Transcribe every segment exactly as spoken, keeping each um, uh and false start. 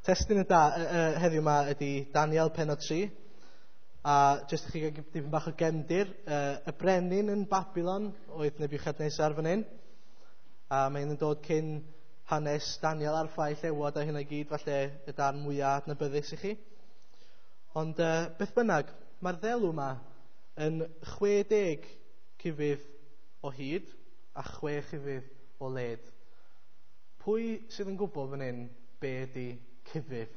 Testun y da, uh, heddiw yma ydy Daniel pennod tri. A jyst i chi gael dipyn bach o gefndir, uh, y brenin yn Babylon oedd Nebiwchadnesar fan hyn. A mae'n dod cyn hanes Daniel a'r ffau llewod a hynna i gyd, falle y darn mwyaf adnabyddus i chi. Ond uh, beth bynnag, mae'r ddelw yma yn chwe deg cufydd o hyd a chwe chufydd o led. Pwy sydd yn gwybod fan hyn be ydy cufydd?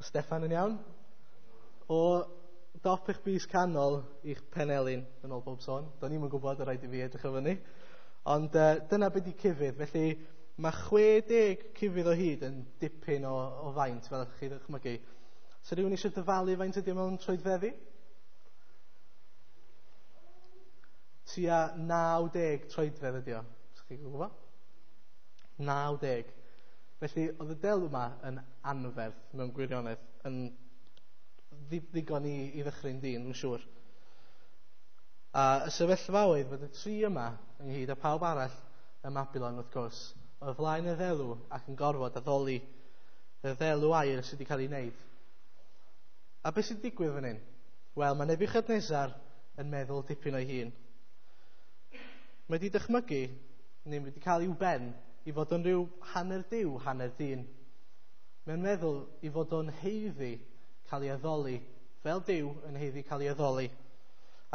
Steffan yn iawn? O dop eich bys canol i'ch penelin, yn ôl bob sôn. Do'n i'm yn gwybod, rhaid i fi edrych o fyny. Ond uh, dyna beth ydy cufydd. Felly mae chwe deg cufydd o hyd yn dipyn o, o faint, fel ydych chi ddychmygu. So rhywun eisiau dyfalu faint ydy mewn troedfeddi? Tua naw deg troedfedd ydy o. Os chi'n gwybod? naw deg. Felly oedd y delw yma yn anferth mewn gwirionedd, yn ddigon i, i ddychryn dyn, dwi'n siŵr. A y sefyllfa oedd fod y tri yma, ynghyd â pawb arall ym Mabilon wrth gwrs, o flaen y ddelw ac yn gorfod addoli y ddelw aur sydd wedi cael ei wneud. A beth sy'n digwydd fan hyn? Wel, mae Nebiwchadnesar yn meddwl dipyn o'i hun. Mae wedi dychmygu, neu wedi cael i'w ben, i fod o'n rhyw hanner duw, hanner dyn. Mae'n meddwl i fod o'n haeddu cael ei addoli, fel Duw yn haeddu cael ei addoli.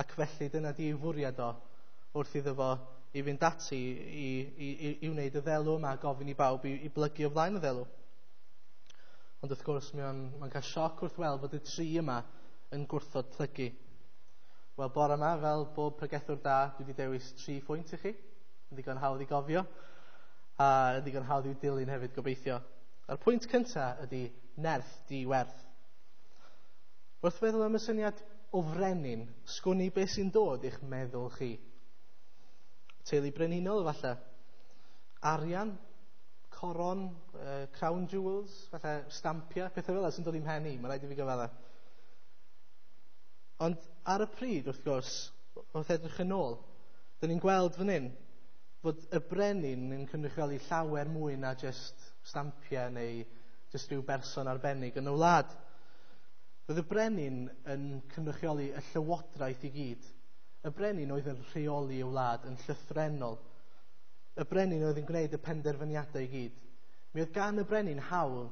Ac felly dyna di ei fwriad o wrth iddo fo i fynd ati i, i, i, i wneud y ddelw yma, gofyn i bawb i, i blygu o flaen y ddelw. Ond wrth gwrs, mae'n mae cael sioc wrth weld bod y tri yma yn gwrthod plygu. Wel, bore yma, fel bob pregethwr da, dwi wedi dewis tri phwynt i chi. Yn ddigon hawdd i gofio, a yn ddigon hawdd i'w dilyn hefyd, gobeithio. A'r pwynt cyntaf ydy nerth di-werth. Wrth feddwl am y syniad o frenin, sgwn i beth sy'n dod i'ch meddwl chi. Teulu brenhinol, falle. Arian, coron, uh, crown jewels, falle stampia, pethau fel yna sy'n dod i'm mhen i, mae'n rhaid i fi gyfadda. Ond ar y pryd, wrth gwrs, wrth edrych yn ôl, dyn ni'n gweld fan hyn fod y brenin yn cynrychioli llawer mwy na jyst stampia neu jyst rhyw berson arbennig yn y wlad. Roedd y brenin yn cynrychioli y llywodraeth i gyd. Y brenin oedd yn rheoli y wlad yn llythrennol. Y brenin oedd yn gwneud y penderfyniadau i gyd. Mi oedd gan y brenin hawl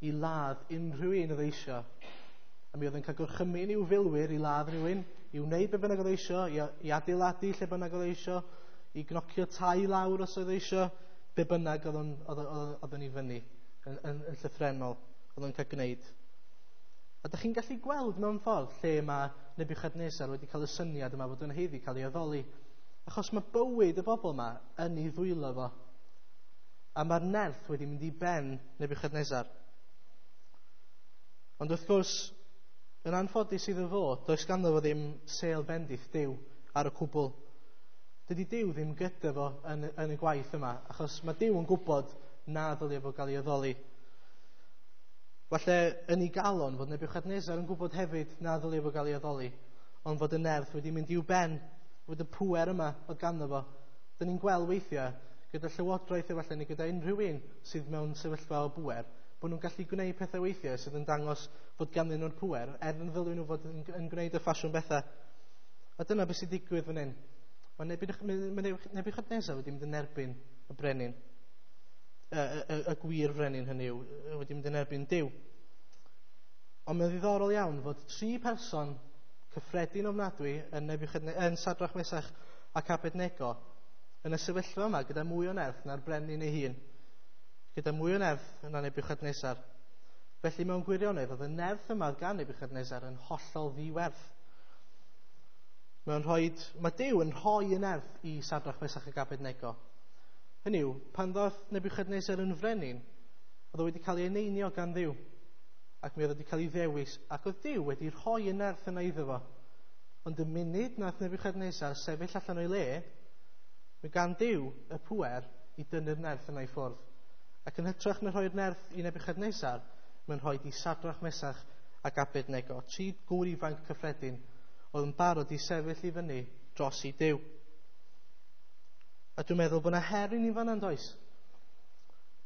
i ladd unrhyw un oedd eisiau. A mi oedd yn cael gorchymyn i'w filwyr i ladd rhywun, i wneud be bynnag oedd eisiau, i, i adeiladu lle bynnag oedd eisiau, i gnocio tai lawr os oedd eisiau, be bynnag oedd o'n, oedd, oedd, oedd o'n i fyny, yn, yn, yn llythrennol, oedd o'n cael gwneud. A dych chi'n gallu gweld mewn ffordd lle mae Nebiwchadnesar wedi cael y syniad yma fod yn haeddu cael ei addoli. Achos mae bywyd y bobl yma yn ei ddwylo fo. A mae'r nerth wedi mynd i ben Nebiwchadnesar. Ond wrth gwrs, yn anffodus iddo fo, does ganddo fo ddim sêl bendith Duw ar y cwbl. Dydy Duw ddim gyda fo yn, yn y gwaith yma, achos mae Duw yn gwybod na ddylia fo gael ei addoli. Falle yn ei galon fod Nebiwchadnesar yn gwybod hefyd na ddylia fo gael ei addoli, ond fod y nerth wedi mynd i'w ben, fod y pŵer yma oedd ganddo fo. Dyn ni'n gweld weithiau gyda llywodraeth efallai neu gyda unrhyw un sydd mewn sefyllfa o bŵer, bod nhw'n gallu gwneud pethau weithiau sydd yn dangos fod ganddyn nhw'r pŵer, er yn ddylwn nhw fod yn, yn gwneud y ffasiwn bethau. A dyna beth sy'n digwydd fan hyn. Mae Nebiwchadnesar wedi mynd yn erbyn y brenin. Y, y, y gwir frenin hynny yw, wedi mynd yn erbyn Duw. Ond mae'n ddiddorol iawn fod tri person cyffredin ofnadwy yn, yn Sadrach, Mesach ac Abednego yn y sefyllfa yma gyda mwy o nerth na'r brenin ei hun, gyda mwy o nerth na Nebiwchadnesar. Felly mewn gwirionedd oedd y nerth yma gan Nebiwchadnesar yn hollol ddiwerth. Mae'n rhoi, mae Duw yn rhoi y nerth i Sadrach, Mesach ac Abednego. Hynny yw, pan ddoth Nebiwchadnesar yn frenin, oedd o wedi cael ei eneinio gan Dduw, ac mi oedd wedi cael ei ddewis, ac oedd Duw wedi rhoi y nerth yna iddo fo. Ond y munud nath Nebiwchadnesar sefyll allan o'i le, mae gan Duw y pŵer i dynnu'r nerth yna i ffwrdd. Ac yn hytrach na rhoi'r nerth i Nebiwchadnesar, mae'n rhoi i Sadrach, Mesach ac Abednego, tri gŵr ifanc cyffredin, oedd yn barod i sefyll i fyny dros i Duw. A dwi'n meddwl bod yna her i ni fan'na, yn does?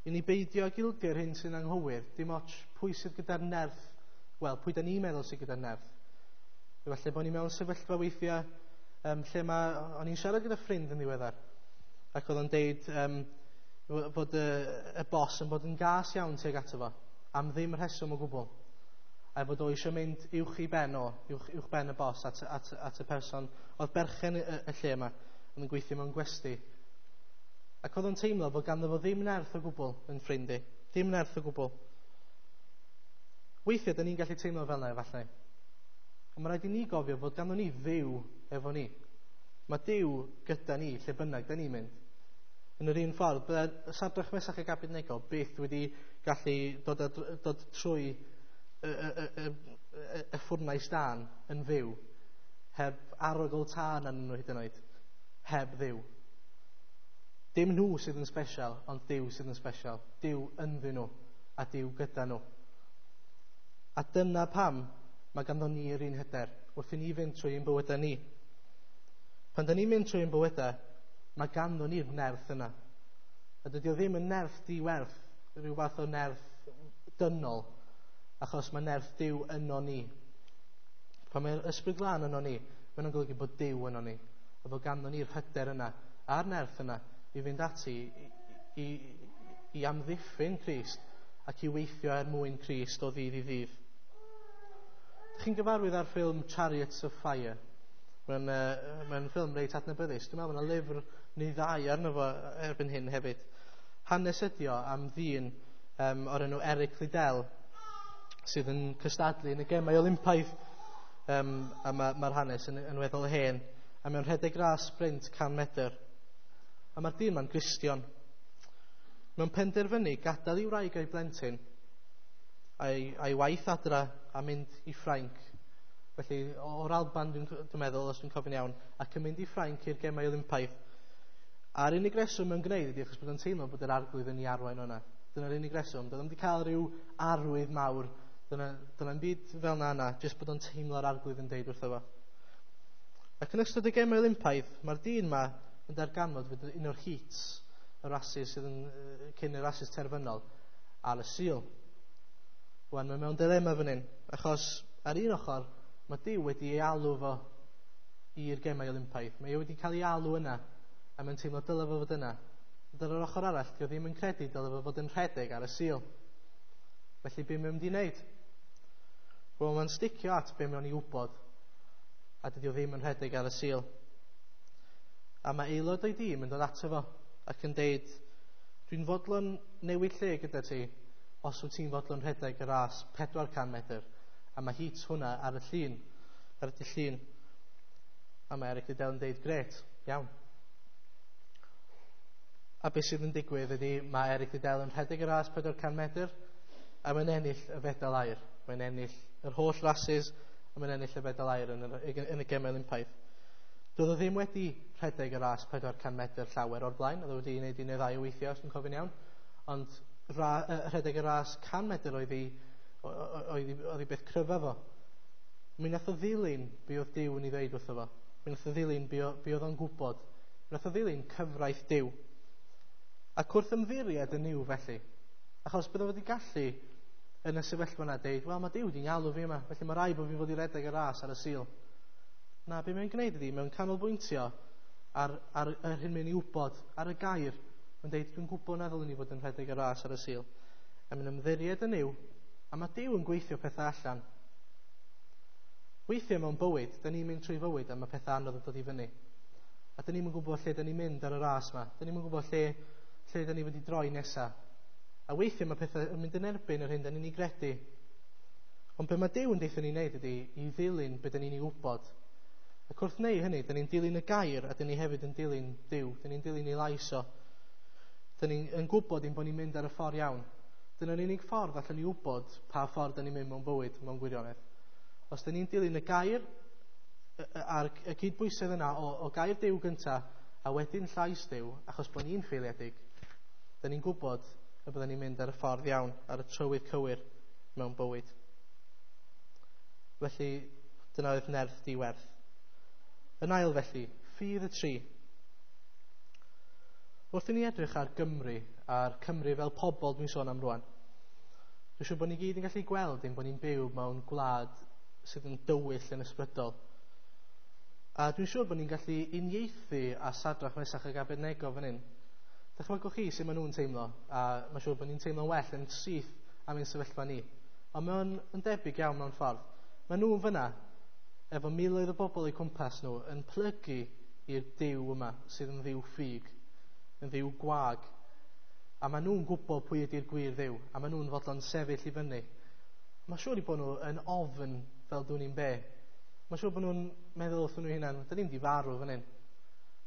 I ni beidio ag ildio'r hyn sy'n anghywir, dim ots pwy sydd gyda'r nerth, wel, pwy da ni'n meddwl sydd gyda'r nerth. Efallai bod ni mewn sefyllfa weithiau um, lle mae... O'n i'n siarad gyda ffrind yn ddiweddar, ac oedd o'n deud um, fod y, y bos yn bod yn gas iawn tuag ato fo, am ddim rheswm o gwbl. A fod o eisiau mynd uwch i ben o, uwch, uwch ben y bos at, at, at y person oedd berchen y, y lle yma, oedd yn gweithio mewn gwesty. Ac oedd o'n teimlo fod ganddo fo ddim nerth o gwbl yn ffrind i. Dim nerth o gwbl. Weithiau, da ni'n gallu teimlo fel yna efallai. Ond mae rhaid i ni gofio fod ganddo ni Dduw efo ni. Mae Duw gyda ni lle bynnag da ni'n mynd. Yn yr un ffordd, bydde Sadrach, Mesach ac Abednego byth wedi gallu dod, a, dod trwy y, y, y, y, y, y ffwrnais dân yn fyw, heb arogl tân arnyn nhw hyd yn oed, heb Dduw. Dim nhw sydd yn special, ond Duw sydd yn special. Duw ynddyn nhw, a Duw gyda nhw. A dyna pam mae ganddo ni yr un hyder wrth i ni fynd trwy ein bywydau ni. Pan da ni'n mynd trwy ein bywydau, mae ganddo ni'r nerth yna. A dydy o ddim yn nerth diwerth, rhyw fath o nerth dynol, achos mae nerth Duw yno ni. Pan mae'r Ysbryd Glân yno ni, mae'n golygu bod Duw yno ni. A bod ganddo ni'r hyder yna, a'r nerth yna, i fynd ati i, i, i amddiffyn Crist ac i weithio er mwyn Crist o ddydd i ddydd. Dych chi'n gyfarwydd â'r ffilm Chariots of Fire? Mae'n uh, mae ffilm reit adnabyddus. Dwi'n meddwl bod yna lyfr neu ddau arno fo erbyn hyn hefyd. Hanes ydi o am ddyn um, o'r enw Eric Liddell sydd yn cystadlu yn y Gemau Olympaidd. Um, a mae'r ma hanes yn, yn weddol hen. A mae'n rhedeg ras sprint can metr. A mae'r dyn ma'n Gristion. Mae'n penderfynu gadael ei wraig a'i blentyn a'i, a'i waith adra a mynd i Ffrainc. Felly o'r Alban dwi'n dwi meddwl, os dwi'n cofio'n iawn, ac yn mynd i Ffrainc i'r Gemau Olympaidd. A'r unig reswm mae'n gwneud ydy achos bod o'n teimlo bod yr Arglwydd yn ei arwain o'na. Dyna'r unig reswm. Doedd o'm wedi cael rhyw arwydd mawr. Dyna, dyna'n byd fel na yna, jyst bod o'n teimlo'r Arglwydd yn deud wrtho fo. Ac yn ystod y Gemau Olympaidd, mae'r dyn ma yn darganfod fod un o'r heats, y rhasys sydd yn cyn y rhasys terfynol, ar y Sul. Wan, mae mewn dilema fan hyn, achos ar un ochr, mae Duw wedi ei alw fo i'r Gemau Olympaidd. Mae e wedi cael ei alw yna, a mae'n teimlo dyle fo fod yna. Ond ar yr ochr arall, dio ddim yn credu dyle fo fod yn rhedeg ar y Sul. Felly, be mae'n mynd i wneud? Wel, mae'n sticio at be mae'n ei wybod, a dydy o ddim yn rhedeg ar y Sul. A mae aelod o'i dîm yn dod ato fo ac yn deud, dwi'n fodlon newid lle gyda ti os wyt ti'n fodlon rhedeg y ras pedwar can metr. A mae heat hwnna ar y llun, ar y llun. A mae Eric Liddell yn deud, gret, iawn. A beth sydd yn digwydd ydy, mae Eric Liddell yn rhedeg y ras pedwar can metr, a mae'n ennill y fedal aur. Mae'n ennill yr holl rhasys, a mae'n ennill y fedal aur yn y, yn y Gemau Olympaidd. Doedd o ddim wedi rhedeg y ras pedwar can metr llawer o'r blaen, oedd o wedi gwneud un neu ddau o weithiau, os dwi'n cofio'n iawn, ond ra, rhedeg y ras can metr oedd ei, oedd ei, oedd ei beth cryfa fo. Mi nath o ddilyn be oedd Duw yn ei ddeud wrtho fo. Mi nath o ddilyn be, be oedd o'n gwybod. Mi nath o ddilyn cyfraith Duw. Ac wrth ymddiried yn Nuw felly, achos bydde wedi gallu yn y sefyllfa yna deud, wel, mae Duw wedi'n galw fi yma, felly mae rhaid bod fi fod i redeg y ras ar y Sul. Na, be mae'n gwneud ydy, mae'n canolbwyntio ar, ar yr hyn mae'n ei wybod, ar y gair. Mae'n deud, dwi'n gwybod na ddylwn i fod yn rhedeg y ras ar y Sul. A mae'n ymddiried yn Nuw, a mae Duw yn gweithio pethau allan. Weithiau mewn bywyd, da ni'n mynd trwy fywyd a mae pethau anodd yn dod i fyny. A da ni'n gwybod lle da ni'n mynd ar y ras yma. Da ni'n gwybod lle, lle da ni wedi droi nesaf. A weithiau mae pethau yn mynd yn erbyn yr hyn da ni'n ei gredu. Ond be mae Duw yn deutha ni'n neud ydy i ddilyn be da ni'n ei wybod. Ac wrth wneud hynny, da ni'n dilyn y gair a da ni hefyd yn dilyn Duw. Da ni'n dilyn ei lais o. Da ni'n gwybod ein bod ni'n mynd ar y ffordd iawn. Dyna'r unig ffordd allan ni wybod pa ffordd da ni'n mynd mewn bywyd, mewn gwirionedd. Os da ni'n dilyn y gair a'r y cydbwysedd yna o, o gair Duw gynta a wedyn llais Duw, achos bod ni'n ffeiliedig, da ni'n gwybod y byddwn ni'n mynd ar y ffordd iawn, ar y trywydd cywir mewn bywyd. Felly, dyna oedd nerth diwerth. Yn ail felly, ffydd y tri. Wrth i ni edrych ar Gymru, a'r Cymru fel pobl dwi'n sôn am rwan, dwi'n siŵr bod ni gyd yn gallu gweld ein bod ni'n byw mewn gwlad sydd yn dywyll yn ysbrydol. A dwi'n siŵr bod ni'n gallu uniaethu â Sadrach, Mesach ac Abednego fan hyn. Dychmygwch chi sut maen nhw'n teimlo, a mae'n siŵr bod ni'n teimlo'n well yn syth am ein sefyllfa ni. Ond mae'n yn debyg iawn mewn ffordd. Maen nhw'n fyna, efo miloedd o bobl eu cwmpas nhw, yn plygu i'r Duw yma, sydd yn dduw ffug, yn dduw gwag. A maen nhw'n gwybod pwy ydy'r gwir Dduw, a maen nhw'n fodlon sefyll i fyny. Mae'n siŵr i bod nhw yn ofn fel dwn i'n be. Mae'n siŵr bod nhw'n meddwl wrthyn nhw hunan, dyn ni'n di farw fan hyn.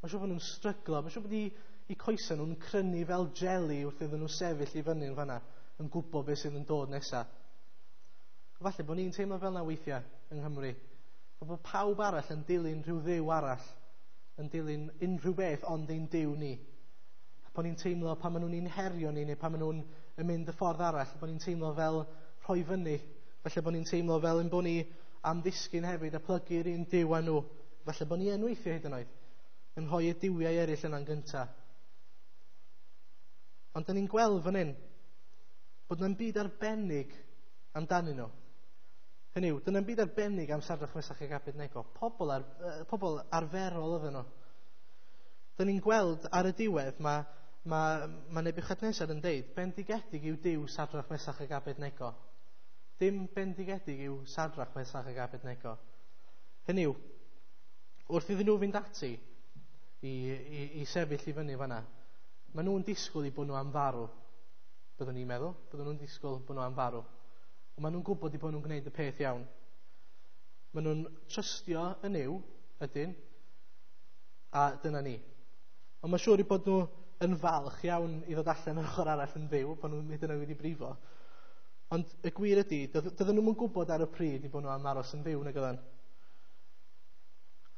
Mae'n siŵr bod nhw'n stryglo, mae'n siŵr bod i, i coesau nhw'n crynu fel jeli wrth iddyn nhw sefyll i fyny yn fanna, yn gwybod beth sydd yn dod nesaf. Falle bod ni'n teimlo fel yna weithiau yng Nghymru. Bod pawb arall yn dilyn rhyw dduw arall, yn dilyn unrhyw beth ond ein Duw ni. A bod ni'n teimlo pan maen nhw'n ein herio ni, neu pan maen nhw'n yn mynd y ffordd arall, bod ni'n teimlo fel rhoi fyny. Falle bod ni'n teimlo fel ein bod ni am ddisgyn hefyd a plygu'r un Duw â nhw. Falle bod ni yn weithio hyd yn oed, yn rhoi y duwiau eraill yna'n gyntaf. Ond dyn ni'n gweld fan hyn bod yna'm byd arbennig amdanyn nhw. Hynny yw, dyna'n byd arbennig am Sadrach, Mesach ac Abednego. Pobl, ar, pobl arferol oedden nhw. Dyn ni'n gweld ar y diwedd, mae, mae, mae Nebiwchadnesar yn deud, bendigedig yw Duw Sadrach, Mesach ac Abednego. Dim bendigedig yw Sadrach, Mesach ac Abednego. Hynny yw, wrth iddyn nhw fynd ati i, i, i sefyll i fyny fanna, maen nhw'n disgwyl i bod nhw am farw. Byddwn ni'n meddwl, byddwn nhw'n disgwyl bod nhw am farw. Ond maen nhw'n gwybod i bod nhw'n gwneud y peth iawn. Maen nhw'n trystio yn Nuw, ydyn, a dyna ni. Ond mae'n siŵr i bod nhw yn falch iawn i ddod allan yr ochr arall yn fyw, pan nhw'n hyd yn oed wedi brifo. Ond y gwir ydy, dydyn nhw'n gwybod ar y pryd i bod nhw am aros yn fyw, nag oedden.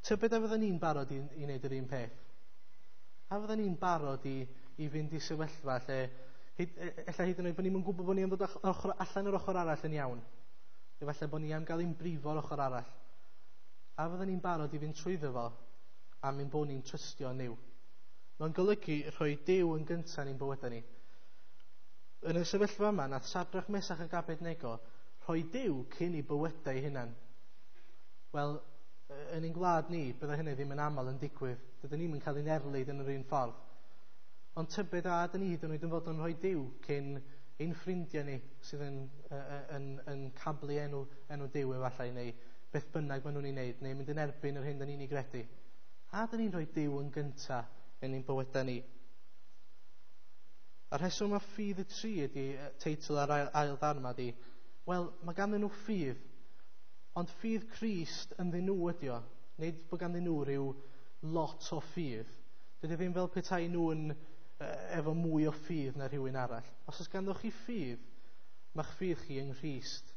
Tybed a fydden ni'n barod i, i wneud yr un peth? A fydden ni'n barod i, i fynd i sefyllfa lle Hyd, ella hyd yn oed bod ni'n gwybod bod ni am ddod ochr, allan yr ochr arall yn iawn. Efallai bod ni am gael ein brifo'r ochr arall. A fydden ni'n barod i fynd trwyddo fo am ein bod ni'n trystio yn Nuw. Mae'n golygu rhoi Duw yn gyntaf ni'n bywydau ni. Yn y sefyllfa yma, nath Sadrach, Mesach ac Abednego rhoi Duw cyn i bywydau hunan. Wel, yn ein gwlad ni, bydde hynny ddim yn aml yn digwydd. Dydyn ni'm yn cael ein erlid yn yr un ffordd. Ond tybed a dyn ni hyd yn oed yn fod yn rhoi Duw cyn ein ffrindiau ni sydd yn, yn, yn, yn cablu enw, enw Duw efallai, neu beth bynnag maen nhw'n ei wneud, neu mynd yn erbyn yr hyn dyn ni'n ei gredu. A dyn ni'n rhoi Duw yn gyntaf yn ein bywydau ni. A'r rheswm mae ffydd y tri ydy teitl ar ail, ail ddarn yma ydy, wel, mae ganddyn nhw ffydd, ond ffydd Crist ynddyn nhw ydy o. Nid bod ganddyn nhw rhyw lot o ffydd. Dydy ddim fel petai nhw'n efo mwy o ffydd na rhywun arall. Os oes ganddoch chi ffydd, mae'ch ffydd chi yng Nghrist.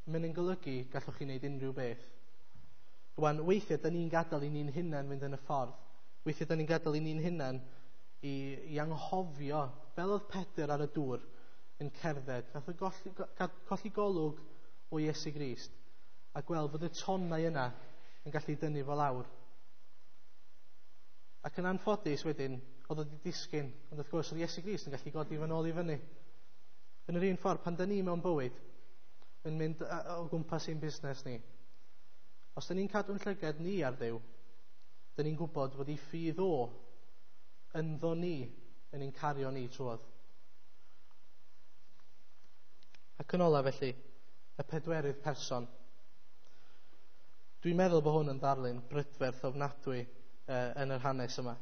Mae'n yn golygu gallwch chi wneud unrhyw beth. Rwan, weithiau, da ni'n gadael i ni'n hunan fynd yn y ffordd. Weithiau, da ni'n gadael i ni'n hunan i, i anghofio, fel oedd Pedr ar y dŵr yn cerdded, nath o golli, colli golwg o Iesu Grist a gweld fod y tonnau yna yn gallu dynnu fo lawr. Ac yn anffodus wedyn, oedd wedi disgyn, ond wrth gwrs oedd Iesu Grist yn gallu godi fo nôl i fyny. Yn yr un ffordd, pan da ni mewn bywyd, yn mynd o gwmpas ein busnes ni, os da ni'n cadw'n llygad ni ar Dduw, da ni'n gwybod fod ei ffydd o ynddo ni yn ein cario ni trwodd. Ac yn ola felly, y pedwerydd person. Dwi'n meddwl bod hwn yn ddarlun brydferth ofnadwy uh, yn yr hanes yma.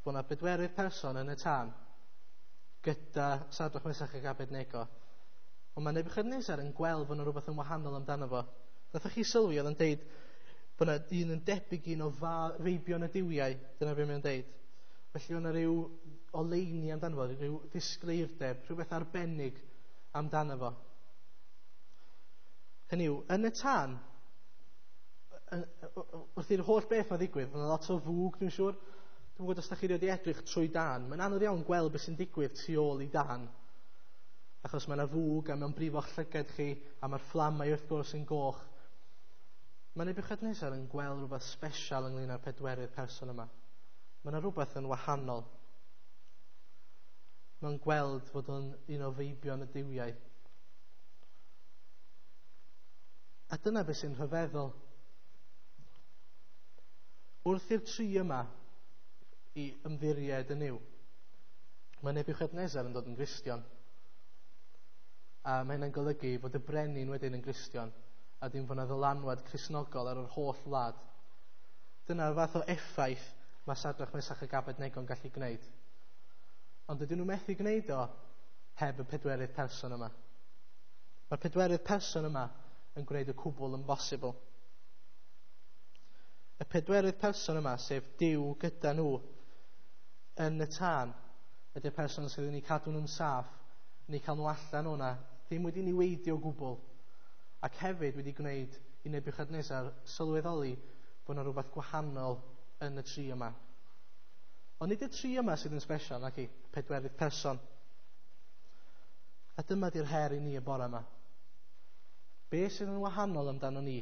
Bod yna bedwerydd person yn y tân gyda Sadrach, Mesach ac Abednego. Ond mae Nebiwchadnesar yn gweld fod yna rhywbeth yn wahanol amdano fo. Nathoch chi sylwi oedd yn deud bod yna un yn debyg un o feibion y duwiau, dyna beth mae'n deud. Felly oedd yna rhyw oleuni amdano fo, rhyw ddisgleirdeb, rhywbeth arbennig amdano fo. Hynny yw, yn y tân, wrth i'r holl beth mae ddigwydd, mae yna lot o fwg, dwi'n siŵr. Dwi'n gwybod os da chi wedi edrych trwy dan. Mae'n anodd iawn gweld beth sy'n digwydd tu ôl i dan. Achos mae yna fwg a mae'n brifo'ch llygad chi a mae'r fflamau wrth gwrs yn goch. Mae Nebiwchadnesar yn gweld rhywbeth special ynglyn â'r pedwerydd person yma. Mae yna rhywbeth yn wahanol. Mae'n gweld fod o'n un o feibion y duwiau. A dyna beth sy'n rhyfeddol. Wrth i'r tri yma i ymddiried yn Nuw, mae Nebiwchadnesar yn dod yn Gristion. A mae hynna'n golygu fod y brenin wedyn yn Gristion, a dim fod yna ddylanwad Cristnogol ar yr holl wlad. Dyna'r fath o effaith mae Sadrach, Mesach ac Abednego'n gallu gwneud. Ond dydyn nhw methu gwneud o heb y pedwerydd person yma. Mae'r pedwerydd person yma yn gwneud y cwbl yn bosibl. Y pedwerydd person yma, sef Duw gyda nhw yn y tân, ydy'r person sydd yn eu cadw nhw'n saff, yn eu cael nhw allan o'na, ddim wedi niweidio o gwbl, ac hefyd wedi gwneud i Nebiwchadnesar sylweddoli bod yna rhywbeth gwahanol yn y tri yma. Ond nid y tri yma sydd yn special, nac i, pedwerydd person. A dyma di'r her i ni y bore yma. Be sydd yn wahanol amdano ni?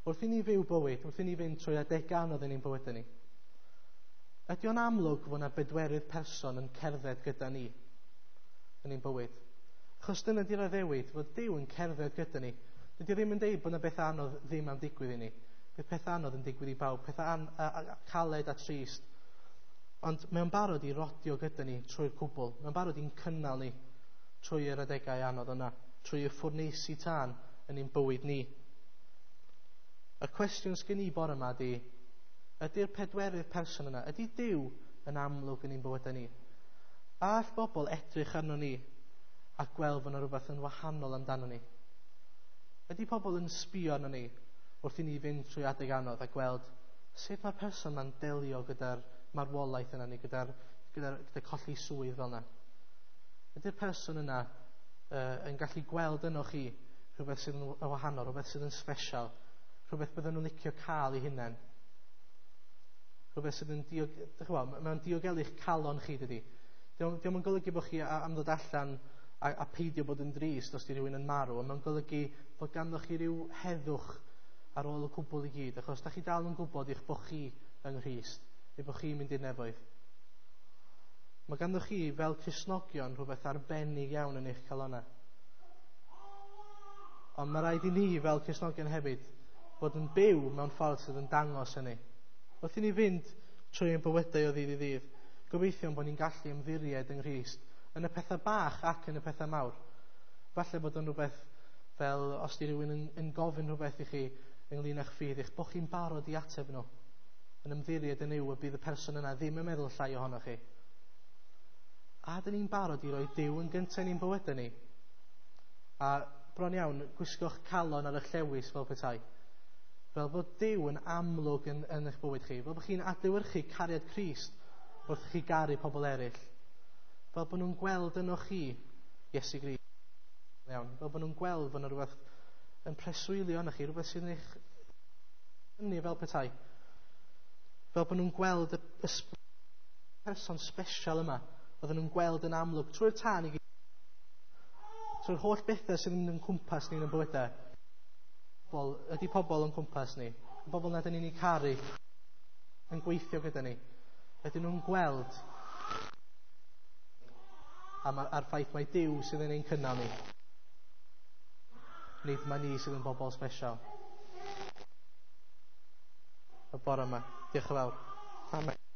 Wrth i ni fyw bywyd, wrth i ni fynd trwy adegau anodd yn ein bywydau ni, ydy o'n amlwg fod yna bedwerydd person yn cerdded gyda ni yn ein bywyd? Achos dyna di'r addewid, fod Duw yn cerdded gyda ni. Dydy o ddim yn deud bod yna bethau anodd ddim am digwydd i ni. Bydd pethau anodd yn digwydd i bawb, pethau an, a, a, caled a trist. Ond mae'n barod i rodio gyda ni trwy'r cwbl. Mae'n barod i'n cynnal ni trwy yr adegau anodd yna, trwy y ffwrneisi tân yn ein bywyd ni. Y cwestiwn sgen i bore yma ydy, ydy'r pedwerydd person yna, ydy Duw yn amlwg yn ein bywydau ni? All bobl edrych arno ni a gweld fod yna rhywbeth yn wahanol amdano ni? Ydy pobl yn sbio arno ni wrth i ni fynd trwy adeg anodd a gweld sut mae'r person yma'n delio gyda'r marwolaeth yna neu gyda'r gyda, gyda colli swydd fel yna? Ydy'r person yna uh, yn gallu gweld yno chi rhywbeth sydd yn wahanol, rhywbeth sydd yn special, rhywbeth bydden nhw'n licio cael eu hunain? Rhywbeth sydd yn diog... Mae'n diogelu'ch calon chi, dydy. Dio'm yn golygu bod chi am ddod allan a, a peidio bod yn drist os di rhywun yn marw, ond mae'n golygu fod ganddo chi ryw heddwch ar ôl y cwbl i gyd, achos da chi dal yn gwybod eich bod chi yng Nghrist, eich bod chi'n mynd i'r nefoedd. Mae ganddo chi fel Cristnogion rhywbeth arbennig iawn yn eich calonnau. Ond mae rhaid i ni fel Cristnogion hefyd fod yn byw mewn ffordd sydd yn dangos hynny. Wrth i ni fynd trwy ein bywydau o ddydd i ddydd, gobeithio bod ni'n gallu ymddiried yng Nghrist yn y pethau bach ac yn y pethau mawr. Falle bod yn rhywbeth fel os di rhywun yn, yn gofyn rhywbeth i chi ynglyn â'ch ffydd, eich bod chi'n barod i ateb nhw, yn ymddiried yn Nuw y bydd y person yna ddim yn meddwl llai ohonoch chi. A dyn ni'n barod i roi Duw yn gyntaf yn ein bywydau ni. A bron iawn, gwisgo'ch calon ar eich llewys fel petai. Fel bod Duw yn amlwg yn, yn eich bywyd chi. Fel bod chi'n adlewyrchu cariad Crist wrth chi garu pobl eraill. Fel bod nhw'n gweld yno chi Iesu Grist. Iawn. Fel bod nhw'n gweld fod yna rhywbeth yn preswylio yno chi, rhywbeth sydd yn eich tynnu fel petai. Fel bod nhw'n gweld y, y person special yma, oedden nhw'n gweld yn amlwg trwy'r tân i gyd, trwy'r holl bethau sydd yn cwmpas ni yn y bywydau. Pobl, ydy pobl yn cwmpas ni, y bobl nad ydyn ni'n eu caru, yn gweithio gyda ni, ydyn nhw'n gweld am, a'r ffaith mai Duw sydd yn ein cynnal ni. Nid mae ni sydd yn bobl special. Y bore yma. Diolch yn fawr. Amen.